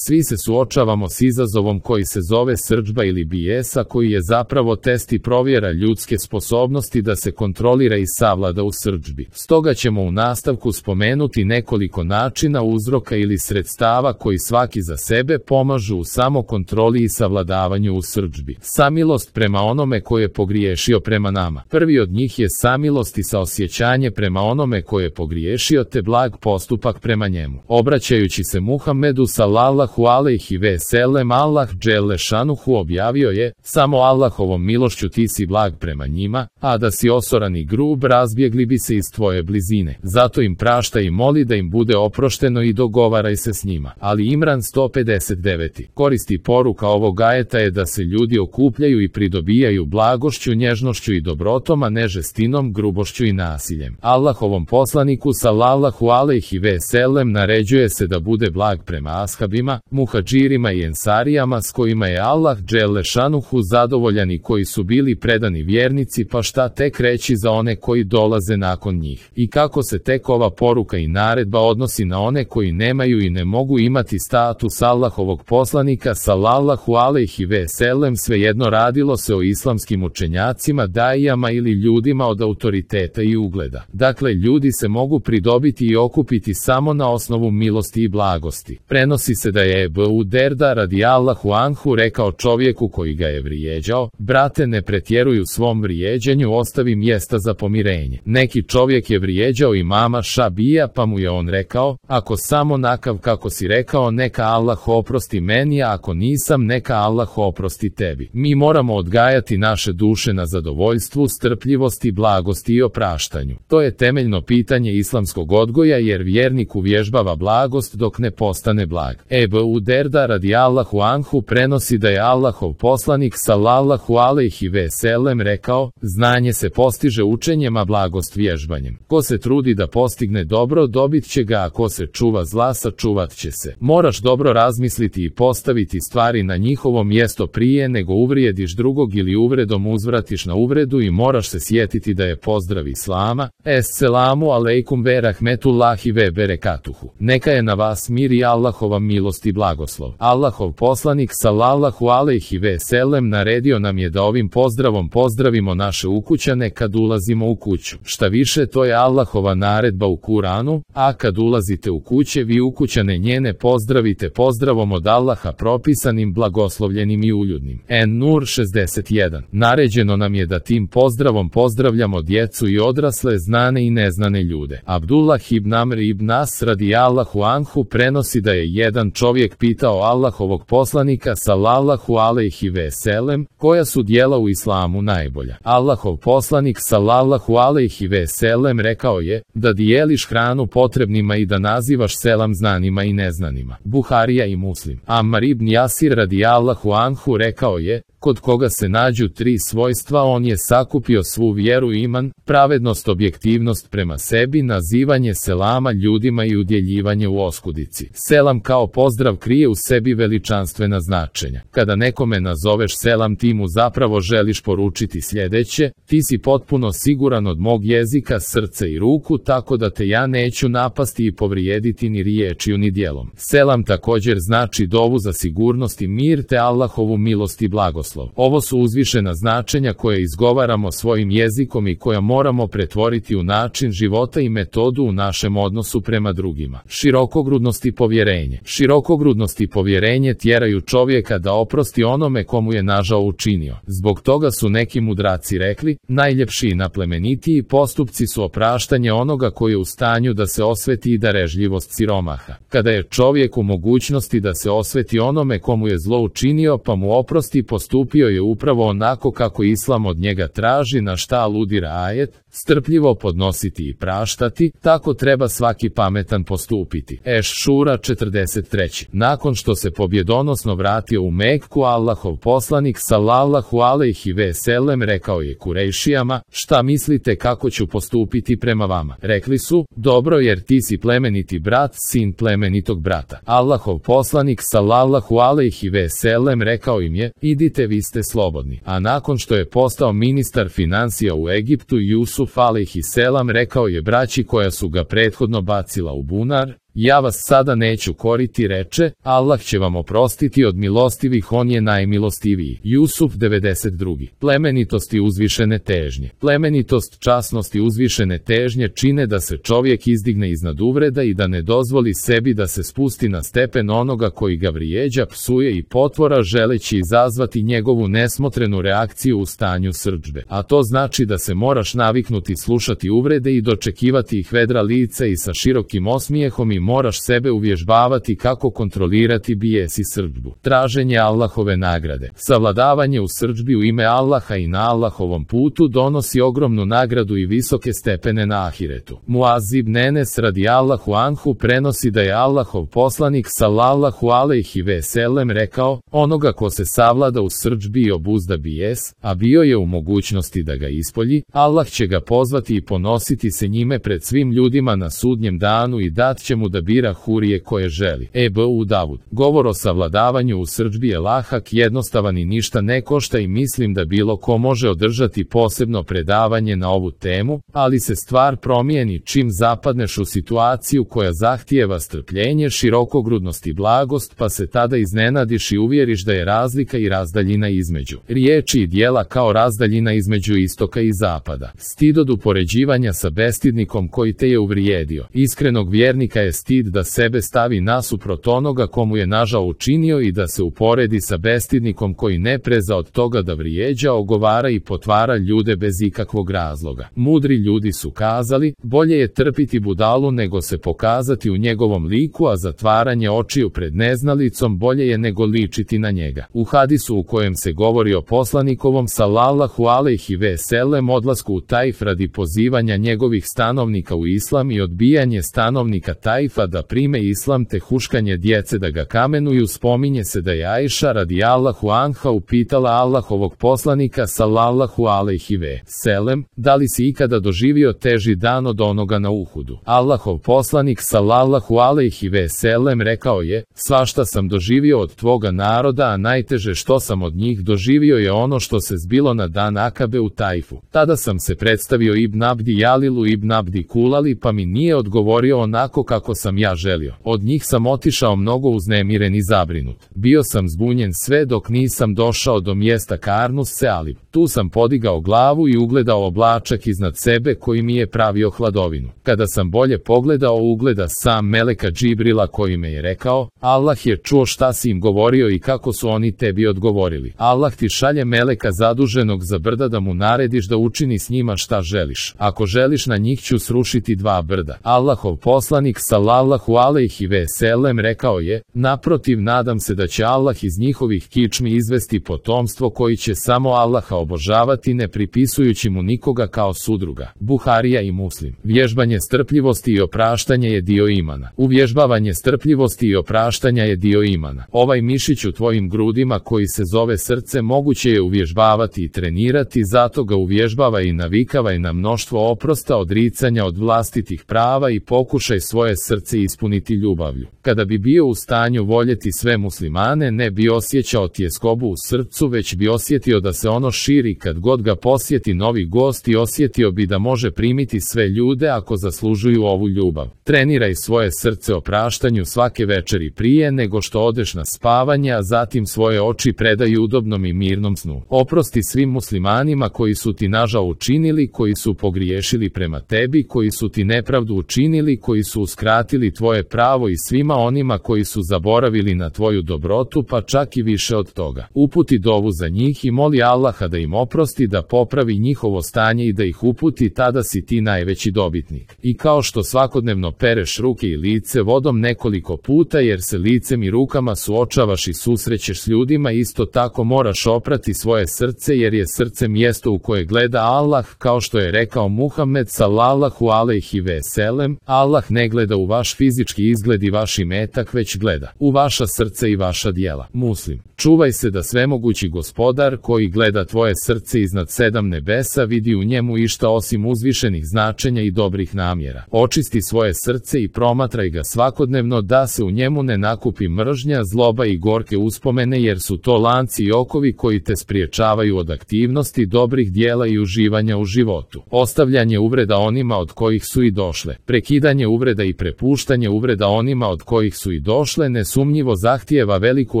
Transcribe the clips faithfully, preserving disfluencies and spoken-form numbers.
Svi se suočavamo s izazovom koji se zove srdžba ili bijesa, koji je zapravo test i provjera ljudske sposobnosti da se kontrolira i savlada u srdžbi. Stoga ćemo u nastavku spomenuti nekoliko načina, uzroka ili sredstava koji svaki za sebe pomažu u samokontroli i savladavanju u srdžbi. Samilost prema onome ko je pogriješio prema nama. Prvi od njih je samilost i saosjećanje prema onome ko je pogriješio te blag postupak prema njemu. Obraćajući se Muhammedu sallallahu alejhi ve sellem, Allah dželle šanuhu objavio je: samo Allahovom milošću ti si blag prema njima, a da si osoran i grub razbjegli bi se iz tvoje blizine. Zato im praštaj i moli da im bude oprošteno i dogovaraj se s njima. Ali Imran sto pedeset devet. Koristi poruka ovog ajeta je da se ljudi okupljaju i pridobijaju blagošću, nježnošću i dobrotom, a ne žestinom, grubošću i nasiljem. Allahovom poslaniku sallallahu alejhi ve sellem naređuje se da bude blag prema ashabima, muhadžirima i ensarijama s kojima je Allah dželle šanuhu zadovoljan i koji su bili predani vjernici, pa šta tek reći za one koji dolaze nakon njih. I kako se tek ova poruka i naredba odnosi na one koji nemaju i ne mogu imati status Allahovog poslanika sallallahu alejhi ve sellem, svejedno radilo se o islamskim učenjacima, dajijama ili ljudima od autoriteta i ugleda. Dakle, ljudi se mogu pridobiti i okupiti samo na osnovu milosti i blagosti. Prenosi se da je Ebu Derda radijallahu anhu rekao čovjeku koji ga je vrijeđao: brate, ne pretjeruj u svom vrijeđanju, ostavi mjesta za pomirenje. Neki čovjek je vrijeđao imama Šabija, pa mu je on rekao: ako samo nakav kako si rekao, neka Allah oprosti meni, a ako nisam, neka Allah oprosti tebi. Mi moramo odgajati naše duše na zadovoljstvu, strpljivosti, blagosti i opraštanju. To je temeljno pitanje islamskog odgoja, jer vjernik uvježbava blagost dok ne postane blag. Ebu Derda radijallahu anhu prenosi da je Allahov poslanik sallallahu alejhi ve sellem rekao: znanje se postiže učenjem, a blagost vježbanjem. Ko se trudi da postigne dobro, dobit će ga, a ko se čuva zla, sačuvat će se. Moraš dobro razmisliti i postaviti stvari na njihovo mjesto prije nego uvrijediš drugog ili uvredom uzvratiš na uvredu, i moraš se sjetiti da je pozdrav islama: Esselamu alejkum ve rahmetullahi ve berekatuhu. Neka je na vas mir i Allahova milost i blagoslov. Allahov poslanik sallallahu alejhi ve sellem naredio nam je da ovim pozdravom pozdravimo naše ukućane kad ulazimo u kuću. Šta više, to je Allahova naredba u Kuranu: a kad ulazite u kuće, vi ukućane njene pozdravite pozdravom od Allaha propisanim, blagoslovljenim i uljudnim. En-Nur šezdeset jedan. Naređeno nam je da tim pozdravom pozdravljamo djecu i odrasle, znane i neznane ljude. Abdullah ibn Amr ibn As radijallahu anhu prenosi da je jedan čovjek pitao Allahovog poslanika sallallahu alejhi ve sellem: koja su djela u islamu najbolja? Allahov poslanik sallallahu alejhi ve sellem rekao je: da dijeliš hranu potrebnima i da nazivaš selam znanima i neznanima. Buharija i Muslim. Ammar ibn Jasir radijallahu anhu rekao je: kod koga se nađu tri svojstva, on je sakupio svu vjeru i iman, pravednost, objektivnost prema sebi, nazivanje selama ljudima i udjeljivanje u oskudici. Selam kao pozdrav krije u sebi veličanstvena značenja. Kada nekome nazoveš selam, ti mu zapravo želiš poručiti sljedeće: ti si potpuno siguran od mog jezika, srca i ruku, tako da te ja neću napasti i povrijediti ni riječju ni djelom. Selam također znači dovu za sigurnost i mir te Allahovu milost i blagoslov. Ovo su uzvišena značenja koje izgovaramo svojim jezikom i koja moramo pretvoriti u način života i metodu u našem odnosu prema drugima. Širokogrudnost i povjerenje. Širokogrudnost i povjerenje tjeraju čovjeka da oprosti onome komu je nažao učinio. Zbog toga su neki mudraci rekli: najljepši i naplemenitiji postupci su opraštanje onoga koji je u stanju da se osveti i darežljivost siromaha. Kada je čovjek u mogućnosti da se osveti onome komu je zlo učinio pa mu oprosti, postupio je upravo onako kako Islam od njega traži, na šta aludira ajet: strpljivo podnositi i praštati, tako treba svaki pametan postupiti. Eš-Šura četrdeset tri. Nakon što se pobjedonosno vratio u Mekku, Allahov poslanik sallallahu alejhi ve sellem rekao je Kurejšijama: šta mislite kako ću postupiti prema vama? Rekli su: dobro, jer ti si plemeniti brat, sin plemenitog brata. Allahov poslanik sallallahu alejhi ve sellem rekao im je: idite, vi ste slobodni. A nakon što je postao ministar financija u Egiptu, Jusuf alejhi selam rekao je braći koja su ga prethodno bacila u bunar: Ja vas sada neću koriti, reče, Allah će vam oprostiti od milostivih, on je najmilostiviji. Jusuf devedeset dva. Plemenitost i uzvišene težnje. Plemenitost, časnost i uzvišene težnje čine da se čovjek izdigne iznad uvreda i da ne dozvoli sebi da se spusti na stepen onoga koji ga vrijeđa, psuje i potvora želeći izazvati njegovu nesmotrenu reakciju u stanju srdžbe. A to znači da se moraš naviknuti slušati uvrede i dočekivati ih vedra lica i sa širokim osmijehom i moraš sebe uvježbavati kako kontrolirati bijes i srdžbu. Traženje Allahove nagrade. Savladavanje u srdžbi u ime Allaha i na Allahovom putu donosi ogromnu nagradu i visoke stepene na ahiretu. Muaz ibn Enes radijallahu anhu prenosi da je Allahov poslanik sallallahu alejhi ve sellem rekao, onoga ko se savlada u srdžbi i obuzda bijes, a bio je u mogućnosti da ga ispolji, Allah će ga pozvati i ponositi se njime pred svim ljudima na sudnjem danu i dat će mu da bira hurije koje želi. Ebu Davud. Govor o savladavanju u srdžbi je lahak, jednostavan i ništa ne košta i mislim da bilo ko može održati posebno predavanje na ovu temu, ali se stvar promijeni čim zapadneš u situaciju koja zahtijeva strpljenje, širokogrudnost i blagost, pa se tada iznenadiš i uvjeriš da je razlika i razdaljina između riječi i dijela kao razdaljina između istoka i zapada. Stid od upoređivanja sa bestidnikom koji te je uvrijedio. Iskrenog vjernika je stid da sebe stavi nasuprot onoga komu je nažao učinio i da se uporedi sa bestidnikom koji ne preza od toga da vrijeđa, ogovara i potvara ljude bez ikakvog razloga. Mudri ljudi su kazali, bolje je trpiti budalu nego se pokazati u njegovom liku, a zatvaranje očiju pred neznalicom bolje je nego ličiti na njega. U hadisu u kojem se govori o poslanikovom sallallahu alejhi ve sellem odlasku u Tajf radi pozivanja njegovih stanovnika u islam i odbijanje stanovnika Tajfa da prime islam te huškanje djece da ga kamenuju, spominje se da je Ajša radijallahu anha upitala Allahovog poslanika sallallahu alejhi ve sellem, da li si ikada doživio teži dan od onoga na Uhudu? Allahov poslanik sallallahu alejhi ve sellem rekao je, svašta sam doživio od tvoga naroda, a najteže što sam od njih doživio je ono što se zbilo na dan Akabe u Tajfu. Tada sam se predstavio Ibn Abdi Jalilu Ibn Abdi Kulali, pa mi nije odgovorio onako kako sam ja želio. Od njih sam otišao mnogo uznemiren i zabrinut. Bio sam zbunjen sve dok nisam došao do mjesta Karnus Sealib. Tu sam podigao glavu i ugledao oblačak iznad sebe koji mi je pravio hladovinu. Kada sam bolje pogledao, ugleda sam meleka Džibrila koji me je rekao, Allah je čuo šta si im govorio i kako su oni tebi odgovorili. Allah ti šalje meleka zaduženog za brda da mu narediš da učini s njima šta želiš. Ako želiš, na njih ću srušiti dva brda. Allahov poslanik sallallahu alejhi ve sellem rekao je, naprotiv, nadam se da će Allah iz njihovih kičmi izvesti potomstvo koji će samo Allaha obožavati ne pripisujući mu nikoga kao sudruga. Buharija i Muslim. Vježbanje strpljivosti i opraštanje je dio imana. Uvježbavanje strpljivosti i opraštanja je dio imana. Ovaj mišić u tvojim grudima koji se zove srce moguće je uvježbavati i trenirati, zato ga uvježbava i navikavaj na mnoštvo oprosta, odricanja od vlastitih prava i pokušaj svoje srce ispuniti ljubavlju. Kada bi bio u stanju voljeti sve muslimane, ne bi osjećao tjeskobu u srcu, već bi osjetio da se ono širi kad god ga posjeti novi gost i osjetio bi da može primiti sve ljude ako zaslužuju ovu ljubav. Treniraj svoje srce opraštanju svake večeri prije nego što odeš na spavanje, a zatim svoje oči predaj udobnom i mirnom snu. Oprosti svim muslimanima koji su ti nažao učinili, koji su pogriješili prema tebi, koji su ti nepravdu učinili, koji su uskratili tvoje pravo i svima onima koji su zaboravili na tvoju dobrotu, pa čak i više od toga. Uputi dovu za njih i moli Allaha da im oprosti, da popravi njihovo stanje i da ih uputi, tada si ti najveći dobitnik. I kao što svakodnevno pereš ruke i lice vodom nekoliko puta jer se licem i rukama suočavaš i susrećeš s ljudima, isto tako moraš oprati svoje srce jer je srce mjesto u koje gleda Allah, kao što je rekao Muhammed sallallahu alejhi ve sellem, Allah ne gleda u vaš fizički izgled i vaš imetak, već gleda u vaša srce i vaša djela. Muslim. Čuvaj se da svemogući gospodar koji gleda tvoje svoje srce iznad sedam nebesa, vidi u njemu išta osim uzvišenih značenja i dobrih namjera. Očisti svoje srce i promatraj ga svakodnevno da se u njemu ne nakupi mržnja, zloba i gorke uspomene, jer su to lanci i okovi koji te spriječavaju od aktivnosti, dobrih dijela i uživanja u životu. Ostavljanje uvreda onima od kojih su i došle. Prekidanje uvreda i prepuštanje uvreda onima od kojih su i došle nesumnjivo zahtijeva veliku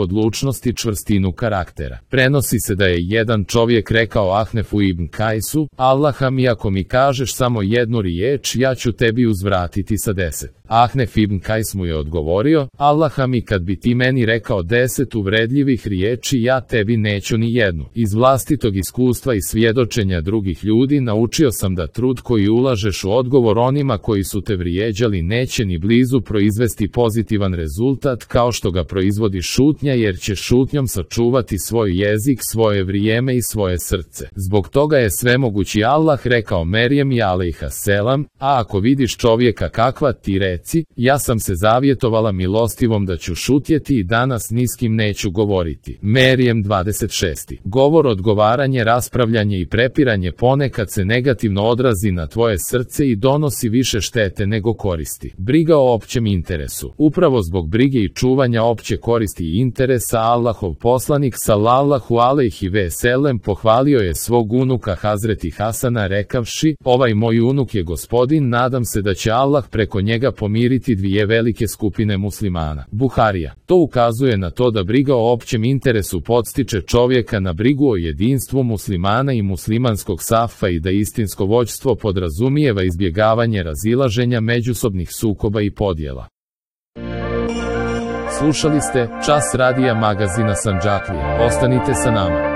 odlučnost i čvrstinu karaktera. Prenosi se da je jedan čovjek rekao Ahnefu ibn Kajsu: Allaha mi, ako mi kažeš samo jednu riječ, ja ću tebi uzvratiti sa deset. Ahnef ibn Kajs mu je odgovorio: Allaha mi, kad bi ti meni rekao deset uvredljivih riječi, ja tebi neću ni jednu. Iz vlastitog iskustva i svjedočenja drugih ljudi naučio sam da trud koji ulažeš u odgovor onima koji su te vrijeđali neće ni blizu proizvesti pozitivan rezultat kao što ga proizvodi šutnja, jer će šutnjom sačuvati svoj jezik, svoje vrijeme i svoje srce. Zbog toga je svemogući Allah rekao Merijem alejha selam: a ako vidiš čovjeka kakva, ti reci: ja sam se zavjetovala milostivom da ću šutjeti i danas ni s kim neću govoriti. Merijem dvadeset šest. Govor, odgovaranje, raspravljanje i prepiranje ponekad se negativno odrazi na tvoje srce i donosi više štete nego koristi. Briga o općem interesu. Upravo zbog brige i čuvanja opće koristi i interesa Allahov poslanik sallallahu alejhi ve sellem pohvalio je svog unuka Hazreti Hasana rekavši: ovaj moj unuk je gospodin, nadam se da će Allah preko njega pomiriti dvije velike skupine muslimana. Buharija. To ukazuje na to da briga o općem interesu podstiče čovjeka na brigu o jedinstvu muslimana i muslimanskog safa i da istinsko vođstvo podrazumijeva izbjegavanje razilaženja, međusobnih sukoba i podjela. Slušali ste Čas radija magazina Sandžaklija. Ostanite sa nama.